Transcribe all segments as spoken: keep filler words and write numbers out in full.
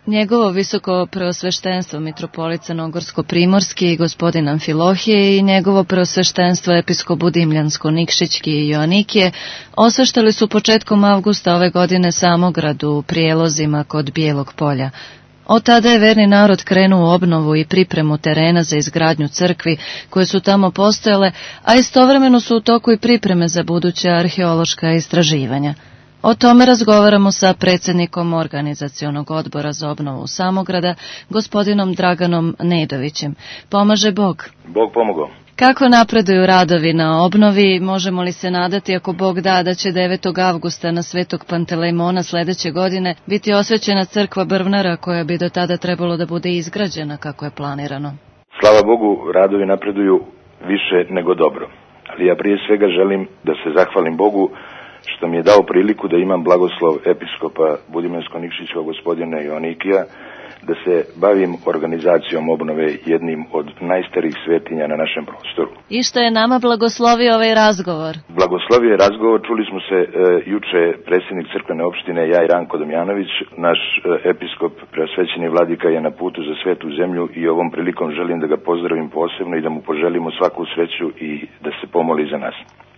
Njegovo visoko preosveštenstvo mitropolit Crnogorsko-primorski gospodin Amfilohije i njegovo preosveštenstvo episkop Budimljansko-Nikšićki i Joanikije osveštali su početkom avgusta ove godine Samograd u prijelozima kod Bijelog polja. Od tada je verni narod krenuo u obnovu i pripremu terena za izgradnju crkvi koje su tamo postojale, a istovremeno su u toku i pripreme za buduća arheološka istraživanja. O tome razgovaramo sa predsjednikom Organizacionog odbora za obnovu Samograda, gospodinom Draganom Nedovićem. Pomaže Bog. Bog pomogao. Kako napreduju radovi na obnovi? Možemo li se nadati, ako Bog da, da će devetog avgusta na Svetog Pantelejmona sledeće godine biti osvećena crkva Brvnara koja bi do tada trebalo da bude izgrađena kako je planirano? Slava Bogu, radovi napreduju više nego dobro. Ali ja prije svega želim da se zahvalim Bogu što mi je dao priliku da imam blagoslov episkopa Budimljansko-Nikšićkog gospodina Joanikija, da se bavim organizacijom obnove jednim od najstarijih svetinja na našem prostoru. I što je nama blagoslovio ovaj razgovor? Blagoslovio je razgovor, čuli smo se e, juče predsjednik crkvene opštine, ja i Ranko Damjanović, naš e, episkop preosvećeni vladika je na putu za svetu zemlju i ovom prilikom želim da ga pozdravim posebno i da mu poželimo svaku sreću i da se pomoli za nas.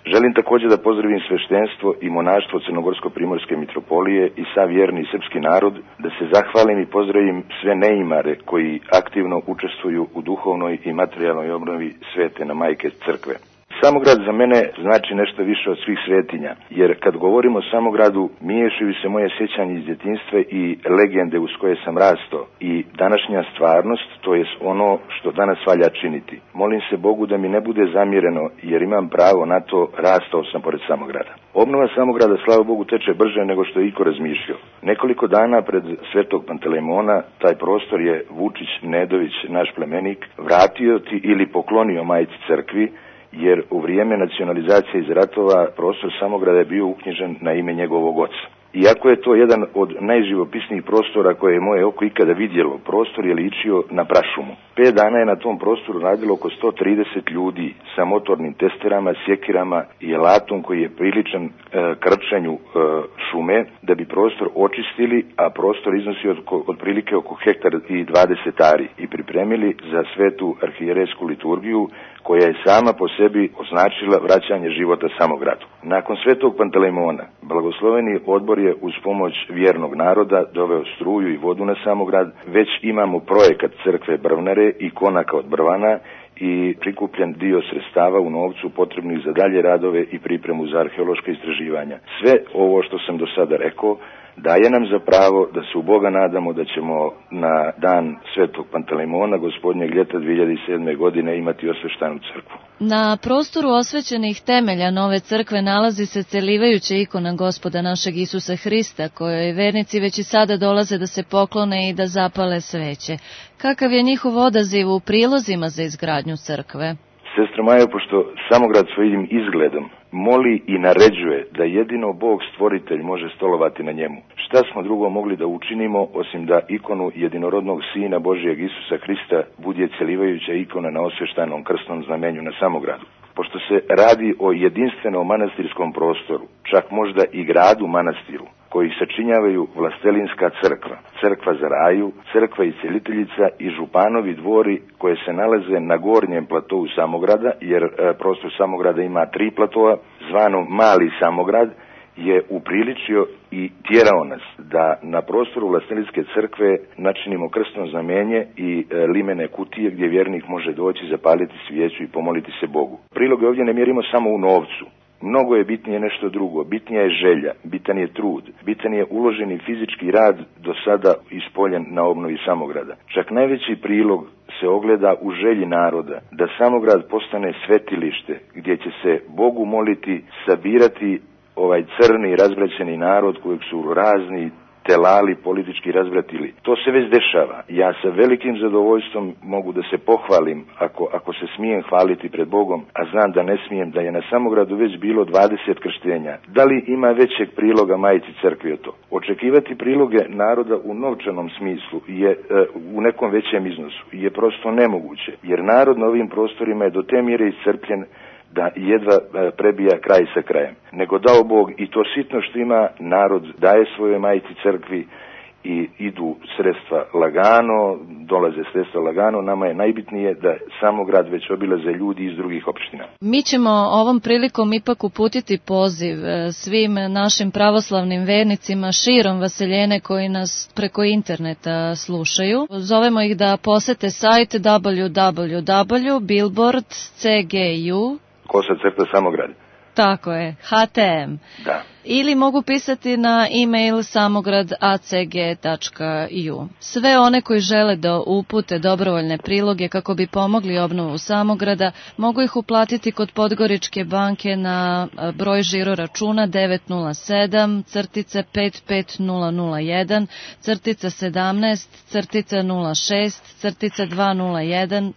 Želim također da pozdravim sveštenstvo i monaštvo Crnogorsko-primorske mitropolije i sav vjerni srpski narod, da se zahvalim i pozdravim sve neimare koji aktivno učestvuju u duhovnoj i materijalnoj obnovi svetene majke crkve. Samograd za mene znači nešto više od svih svetinja, jer kad govorimo o Samogradu, miješaju se moje sjećanje iz djetinjstva i legende uz koje sam rastao i današnja stvarnost, to jest ono što danas valja činiti. Molim se Bogu da mi ne bude zamjereno, jer imam pravo na to, rastao sam pored Samograda. Obnova Samograda, slava Bogu, teče brže nego što je iko razmišljao. Nekoliko dana pred Svetog Pantelejmona taj prostor je Vučić Nedović, naš plemenik, vratio ti ili poklonio majci crkvi, jer u vrijeme nacionalizacije iz ratova prostor Samograda je bio uknjižen na ime njegovog oca. Iako je to jedan od najživopisnijih prostora koje je moje oko ikada vidjelo, prostor je ličio na prašumu. Pet dana je na tom prostoru radilo oko sto trideset ljudi sa motornim testerama, sjekirama i alatom koji je priličan e, krčenju e, šume da bi prostor očistili, a prostor iznosi od, od prilike oko hektar i dvadeset ari i pripremili za svetu arhijerejsku liturgiju koja je sama po sebi označila vraćanje života Samogradu. Nakon Svetog Pantelejmona, blagosloveni odbor je uz pomoć vjernog naroda doveo struju i vodu na Samograd. Već imamo projekat crkve Brvnare i konaka od Brvana i prikupljen dio sredstava u novcu potrebnih za dalje radove i pripremu za arheološke istraživanja. Sve ovo što sam do sada rekao daje nam za pravo da se u Boga nadamo da ćemo na dan Svetog Pantelejmona gospodnjeg ljeta dvije hiljade sedme. godine imati osveštanu crkvu. Na prostoru osvećenih temelja nove crkve nalazi se celivajuća ikona Gospoda našeg Isusa Hrista, kojoj vernici već i sada dolaze da se poklone i da zapale sveće. Kakav je njihov odaziv u prilozima za izgradnju crkve? Sestra Majo, pošto Samograd svojim izgledom moli i naređuje da jedino Bog stvoritelj može stolovati na njemu, šta smo drugo mogli da učinimo osim da ikonu jedinorodnog Sina Božijeg Isusa Hrista bude celivajuća ikona na osveštanom krstnom znamenju na Samogradu? Pošto se radi o jedinstvenom manastirskom prostoru, čak možda i gradu manastiru, koji sačinjavaju Vlastelinska crkva, crkva za raju, crkva i celiteljica i županovi dvori koje se nalaze na gornjem platovu Samograda, jer e, prostor Samograda ima tri platoa, zvano Mali Samograd, je upriličio i tjerao nas da na prostoru Vlastelinske crkve načinimo krstno znamenje i e, limene kutije gdje vjernik može doći, zapaliti svijeću i pomoliti se Bogu. Priloge ovdje ne mjerimo samo u novcu. Mnogo je bitnije nešto drugo, bitnija je želja, bitan je trud, bitan je uloženi fizički rad do sada ispoljen na obnovi Samograda. Čak najveći prilog se ogleda u želji naroda da Samograd postane svetilište gdje će se Bogu moliti, sabirati ovaj crni razbraćeni narod kojeg su razni telali politički razbratili. To se već dešava. Ja sa velikim zadovoljstvom mogu da se pohvalim, ako, ako se smijem hvaliti pred Bogom, a znam da ne smijem, da je na Samogradu već bilo dvadeset krštenja. Da li ima većeg priloga majci crkvi od to? Očekivati priloge naroda u novčanom smislu je e, u nekom većem iznosu je prosto nemoguće, jer narod na ovim prostorima je do te mjere iscrpljen da jedva prebija kraj sa krajem. Nego dao Bog i to sitno što ima narod daje svojoj majci crkvi i idu sredstva lagano, dolaze sredstva lagano, nama je najbitnije da Samograd već obilaze ljudi iz drugih opština. Mi ćemo ovom prilikom ipak uputiti poziv svim našim pravoslavnim vernicima širom Vaseljene koji nas preko interneta slušaju. Zovemo ih da posete sajt w w w tačka billboard c g u Kosa crta Samograd. Tako je, H T M. Da. Ili mogu pisati na e-mail samograd a c g tačka u. Sve one koji žele da upute dobrovoljne priloge kako bi pomogli obnovu Samograda, mogu ih uplatiti kod Podgoričke banke na broj žiro računa devet nula sedam pet pet nula nula jedan sedamnaest nula šest dva nula jedan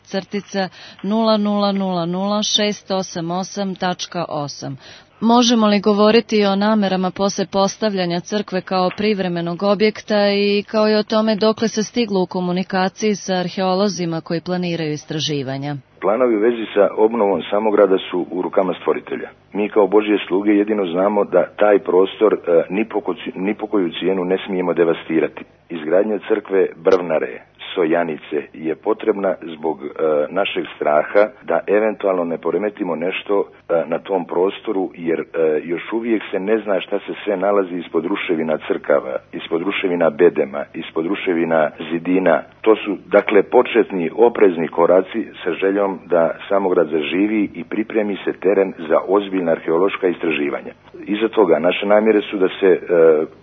nula nula nula nula šest osam osam tačka osam. Možemo li govoriti o namerama posle postavljanja crkve kao privremenog objekta i kao i o tome dokle se stiglo u komunikaciji sa arheolozima koji planiraju istraživanja? Planovi u vezi sa obnovom Samograda su u rukama stvoritelja. Mi kao Božje sluge jedino znamo da taj prostor e, ni, po, ni po koju cijenu ne smijemo devastirati. Izgradnja crkve Brvnare, Sojanice je potrebna zbog e, našeg straha da eventualno ne poremetimo nešto e, na tom prostoru, jer e, još uvijek se ne zna šta se sve nalazi ispod ruševina crkava, ispod ruševina bedema, ispod ruševina zidina. To su dakle početni oprezni koraci sa željom da Samograd zaživi i pripremi se teren za ozbiljna arheološka istraživanja. Iza toga naše namjere su da se e,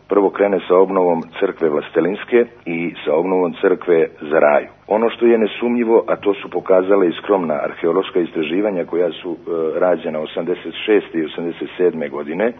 prvo krene sa obnovom crkve Vlastelinske i sa obnovom crkve za Raju. Ono što je nesumnjivo, a to su pokazale i skromna arheološka istraživanja koja su e, rađena osamdeset šeste i osamdeset sedme godine, e,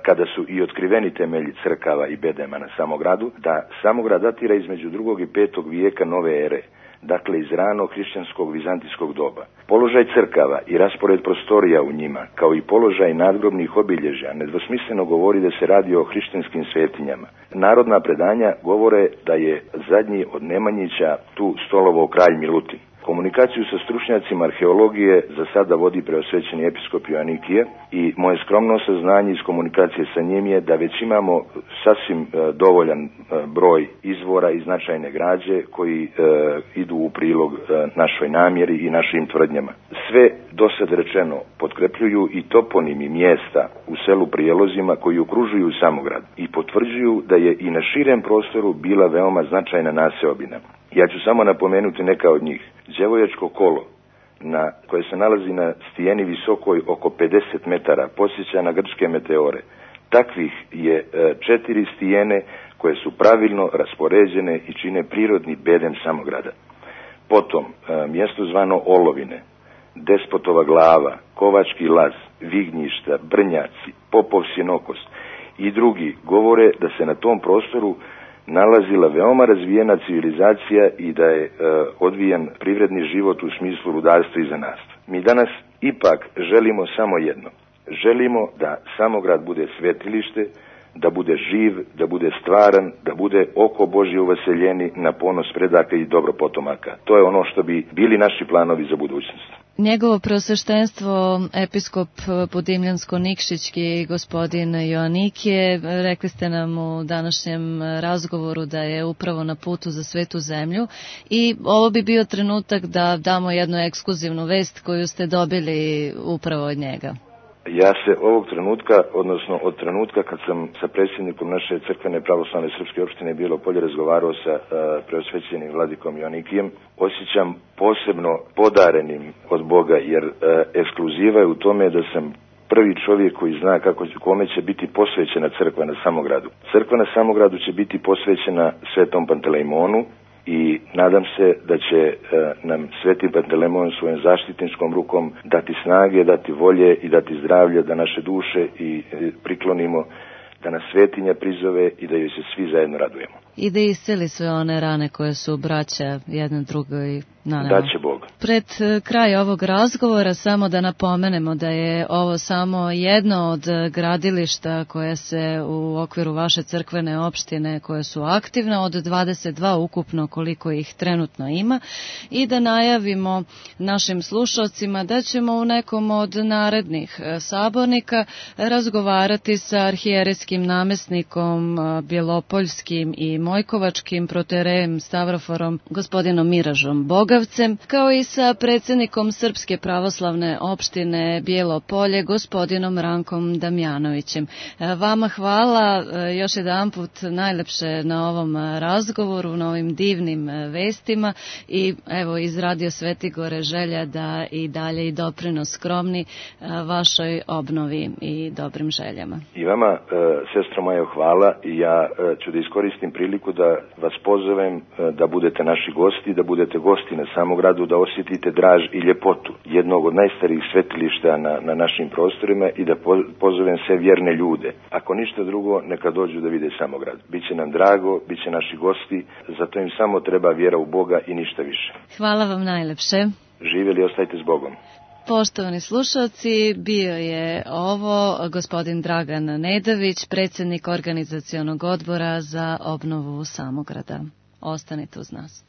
kada su i otkriveni temelji crkava i bedema na Samogradu, da Samograd datira između drugog i petog vijeka nove ere, dakle iz ranog hrišćanskog vizantijskog doba. Položaj crkava i raspored prostorija u njima, kao i položaj nadgrobnih obilježja, nedvosmisleno govori da se radi o hrišćanskim svetinjama. Narodna predanja govore da je zadnji od Nemanjića tu stolovao kralj Milutin. Komunikaciju sa stručnjacima arheologije za sada vodi preosvećeni episkop Joanikije i moje skromno saznanje iz komunikacije sa njim je da već imamo sasvim e, dovoljan e, broj izvora i značajne građe koji e, idu u prilog e, našoj namjeri i našim tvrdnjama. Sve dosad rečeno potkrepljuju i toponimi mjesta u selu Prijelozima koji okružuju Samograd i potvrđuju da je i na širem prostoru bila veoma značajna naseobina. Ja ću samo napomenuti neka od njih. Đevojačko kolo, na, koje se nalazi na stijeni visokoj oko pedeset metara, podsjeća na grčke meteore. Takvih je e, četiri stijene koje su pravilno raspoređene i čine prirodni bedem Samograda. Potom, e, mjesto zvano Olovine, Despotova glava, Kovački laz, Vignjišta, Brnjaci, Popov sinokost i drugi govore da se na tom prostoru nalazila veoma razvijena civilizacija i da je e, odvijen privredni život u smislu rudarstva i zanatstva. Mi danas ipak želimo samo jedno. Želimo da Samograd bude svetilište, da bude živ, da bude stvaran, da bude oko Božje u Vaseljeni na ponos predaka i dobro potomaka. To je ono što bi bili naši planovi za budućnost. Njegovo preosveštenstvo, episkop Budimljansko-Nikšićki, gospodin Joanikije, rekli ste nam u današnjem razgovoru da je upravo na putu za svetu zemlju i ovo bi bio trenutak da damo jednu ekskluzivnu vest koju ste dobili upravo od njega. Ja se ovog trenutka, odnosno od trenutka kad sam sa predsjednikom naše crkvene pravoslavne srpske opštine Bijelo Polje razgovarao sa uh, preosvećenim vladikom Joanikijem, osjećam posebno podarenim od Boga, jer uh, ekskluziva je u tome da sam prvi čovjek koji zna kako, kome će biti posvećena crkva na Samogradu. Crkva na Samogradu će biti posvećena Svetom Pantelejmonu i nadam se da će e, nam Sveti Pantelejmon svojom zaštitničkom rukom dati snage, dati volje i dati zdravlje da naše duše i e, priklonimo, da nas svetinja prizove i da joj se svi zajedno radujemo. I da isceli sve one rane koje su braća jedna drugoj nanela. Da će Bog. Pred kraj ovog razgovora samo da napomenemo da je ovo samo jedno od gradilišta koje se u okviru vaše crkvene opštine koje su aktivne, od dvadeset dva ukupno koliko ih trenutno ima, i da najavimo našim slušalcima da ćemo u nekom od narednih sabornika razgovarati sa arhijerejskim namjesnikom Bjelopoljskim i Mojkovačkim proterejem Stavroforom, gospodinom Miražom Bogavcem, kao i sa predsjednikom Srpske pravoslavne opštine Bijelo Polje, gospodinom Rankom Damjanovićem. Vama hvala još jedanput najlepše na ovom razgovoru, na ovim divnim vestima i evo iz Radio Svetigore želja da i dalje i doprinos skromni vašoj obnovi i dobrim željama. I vama, sestro moja, hvala i ja ću da iskoristim priliku da vas pozovem da budete naši gosti, da budete gosti na Samogradu, da osjetite draž i ljepotu jednog od najstarijih svetilišta na, na našim prostorima i da pozovem sve vjerne ljude. Ako ništa drugo, neka dođu da vide Samograd. Biće nam drago, bit će naši gosti, zato im samo treba vjera u Boga i ništa više. Hvala vam najlepše. Živjeli, ostajte s Bogom. Poštovani slušalci, bio je ovo gospodin Dragan Nedović, predsjednik organizacionog odbora za obnovu Samograda. Ostanite uz nas.